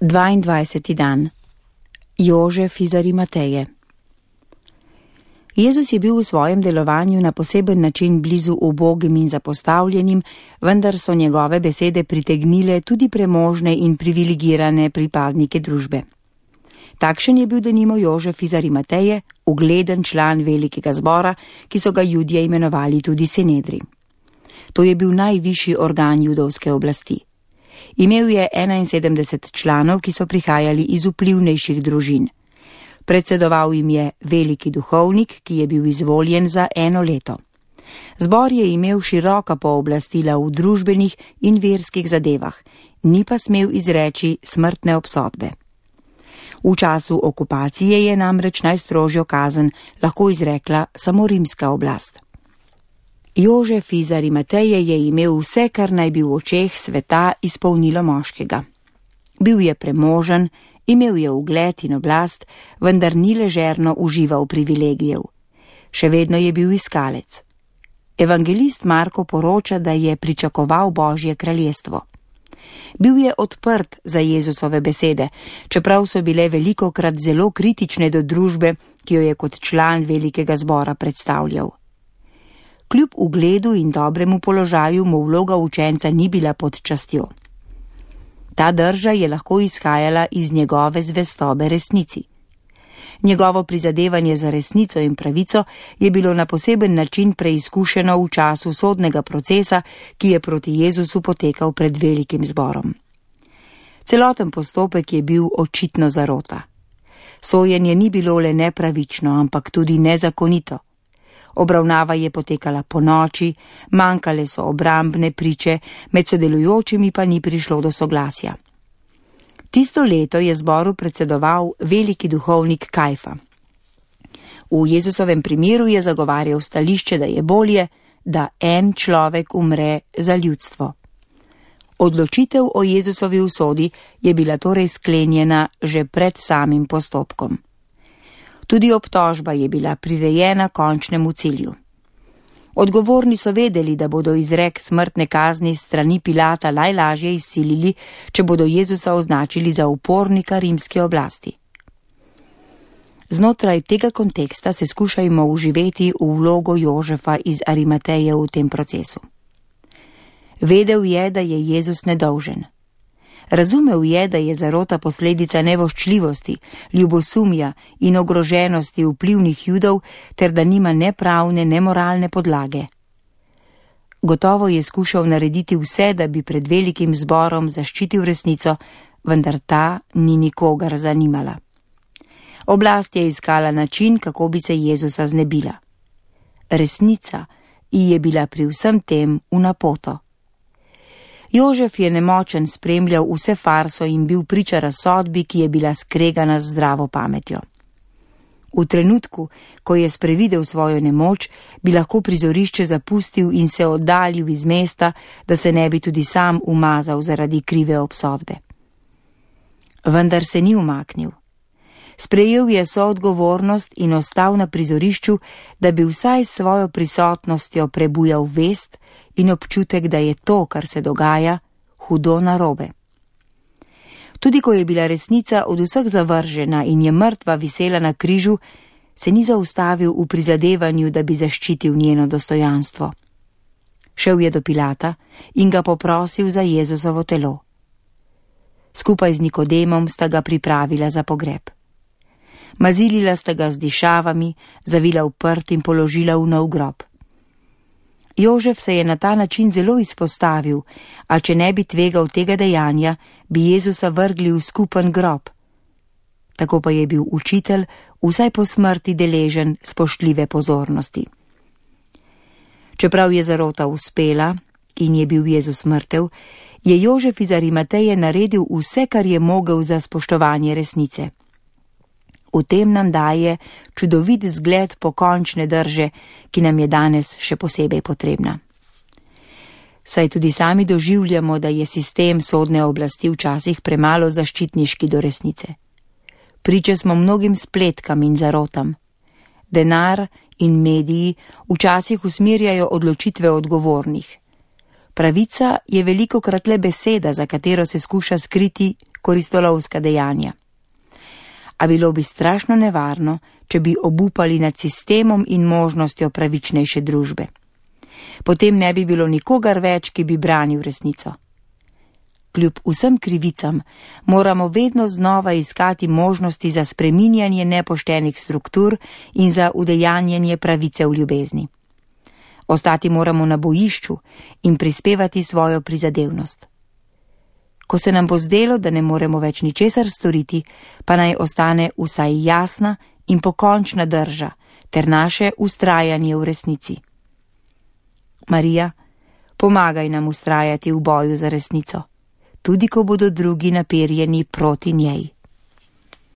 22. dan. Jožef iz Arimateje. Jezus je bil v svojem delovanju na poseben način blizu ubogim in zapostavljenim, vendar so njegove besede pritegnile tudi premožne in privilegirane pripadnike družbe. Takšen je bil denimo Jožef iz Arimateje, ugleden član velikega zbora, ki so ga Judje imenovali tudi Sinedri. To je bil najvišji organ judovske oblasti. Imel je 71 članov, ki so prihajali iz vplivnejših družin. Predsedoval jim je veliki duhovnik, ki je bil izvoljen za 1 leto. Zbor je imel široka pooblastila v družbenih in verskih zadevah, ni pa smel izreči smrtne obsodbe. V času okupacije je namreč najstrožjo kazen lahko izrekla samo rimska oblast. Jožef iz Arimateje je imel vse, kar naj bi v očeh sveta izpolnilo moškega. Bil je premožen, imel je ugled in oblast, vendar ni ležerno užival privilegijev. Še vedno je bil iskalec. Evangelist Marko poroča, da je pričakoval Božje kraljestvo. Bil je odprt za Jezusove besede, čeprav so bile velikokrat zelo kritične do družbe, ki jo je kot član velikega zbora predstavljal. Kljub ugledu in dobremu položaju mu vloga učenca ni bila pod častjo. Ta drža je lahko izhajala iz njegove zvestobe resnici. Njegovo prizadevanje za resnico in pravico je bilo na poseben način preizkušeno v času sodnega procesa, ki je proti Jezusu potekal pred velikim zborom. Celoten postopek je bil očitno zarota. Sojenje ni bilo le nepravično, ampak tudi nezakonito. Obravnava je potekala ponoči, manjkale so obrambne priče, med sodelujočimi pa ni prišlo do soglasja. Tisto leto je zboru predsedoval veliki duhovnik Kajfa. V Jezusovem primeru je zagovarjal stališče, da je bolje, da en človek umre za ljudstvo. Odločitev o Jezusovi usodi je bila torej sklenjena že pred samim postopkom. Tudi obtožba je bila prirejena končnemu cilju. Odgovorni so vedeli, da bodo izrek smrtne kazni strani Pilata najlažje izsilili, če bodo Jezusa označili za upornika rimske oblasti. Znotraj tega konteksta se skušajmo vživeti v vlogo Jožefa iz Arimateje v tem procesu. Vedel je, da je Jezus nedolžen. Razumel je, da je zarota posledica nevoščljivosti, ljubosumja in ogroženosti vplivnih Judov, ter da nima ne pravne, ne moralne podlage. Gotovo je skušal narediti vse, da bi pred velikim zborom zaščitil resnico, vendar ta ni nikogar zanimala. Oblast je iskala način, kako bi se Jezusa znebila. Resnica ji je bila pri vsem tem v napoto. Jožef je nemočen spremljal vse farso in bil priča razsodbi, ki je bila skregana z zdravo pametjo. V trenutku, ko je sprevidel svojo nemoč, bi lahko prizorišče zapustil in se oddaljil iz mesta, da se ne bi tudi sam umazal zaradi krive obsodbe. Vendar se ni umaknil. Sprejel je soodgovornost in ostal na prizorišču, da bi vsaj s svojo prisotnostjo prebujal vest in občutek, da je to, kar se dogaja, hudo narobe. Tudi ko je bila resnica od vseh zavržena in je mrtva visela na križu, se ni zaustavil v prizadevanju, da bi zaščitil njeno dostojanstvo. Šel je do Pilata in ga poprosil za Jezusovo telo. Skupaj z Nikodemom sta ga pripravila za pogreb. Mazilila sta ga z dišavami, zavila v prt in položila v nov grob. Jožef se je na ta način zelo izpostavil, a če ne bi tvegal tega dejanja, bi Jezusa vrgli v skupen grob. Tako pa je bil učitelj vsaj po smrti deležen spoštljive pozornosti. Čeprav je zarota uspela in je bil Jezus mrtev, je Jožef iz Arimateje naredil vse, kar je mogel za spoštovanje resnice. V tem nam daje čudovit zgled pokončne drže, ki nam je danes še posebej potrebna. Saj tudi sami doživljamo, da je sistem sodne oblasti včasih premalo zaščitniški do resnice. Priče smo mnogim spletkam in zarotam. Denar in mediji včasih usmerjajo odločitve odgovornih. Pravica je velikokrat le beseda, za katero se skuša skriti koristolovska dejanja. A bilo bi strašno nevarno, če bi obupali nad sistemom in možnostjo pravičnejše družbe. Potem ne bi bilo nikogar več, ki bi branil resnico. Kljub vsem krivicam moramo vedno znova iskati možnosti za spreminjanje nepoštenih struktur in za udejanjanje pravice v ljubezni. Ostati moramo na bojišču in prispevati svojo prizadevnost. Ko se nam bo zdelo, da ne moremo več ničesar storiti, pa naj ostane vsaj jasna in pokončna drža ter naše vztrajanje v resnici. Marija, pomagaj nam vztrajati v boju za resnico, tudi ko bodo drugi naperjeni proti njej.